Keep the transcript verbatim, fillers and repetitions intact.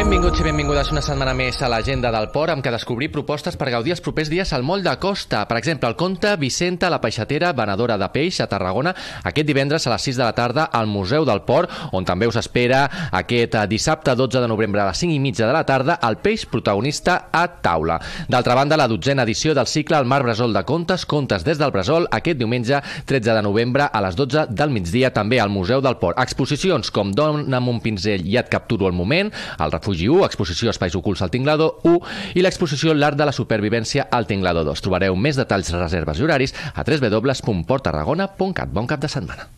Benvinguts i benvingudes una setmana més a l'agenda del port, amb què descobrir propostes per gaudir els propers dies al moll de costa. Per exemple, el conte Vicenta, la peixatera, venedora de peix a Tarragona, aquest divendres a les sis de la tarda al Museu del Port, on també us espera aquest dissabte dotze de novembre a les cinc i mitja de la tarda el peix protagonista a taula. D'altra banda, la dotzena edició del cicle El Mar Bressol de Contes, Contes des del Bressol, aquest diumenge tretze de novembre a les dotze del migdia també al Museu del Port. Exposicions com Dona'm un pinzell i et capturo el moment, el Refugi u, exposició Espais ocults al Tinglador u i l'exposició L'art de la supervivència al Tinglador dos. Trobareu més detalls, reserves i horaris a w w w punt port tarragona punt cat. Bon cap de setmana.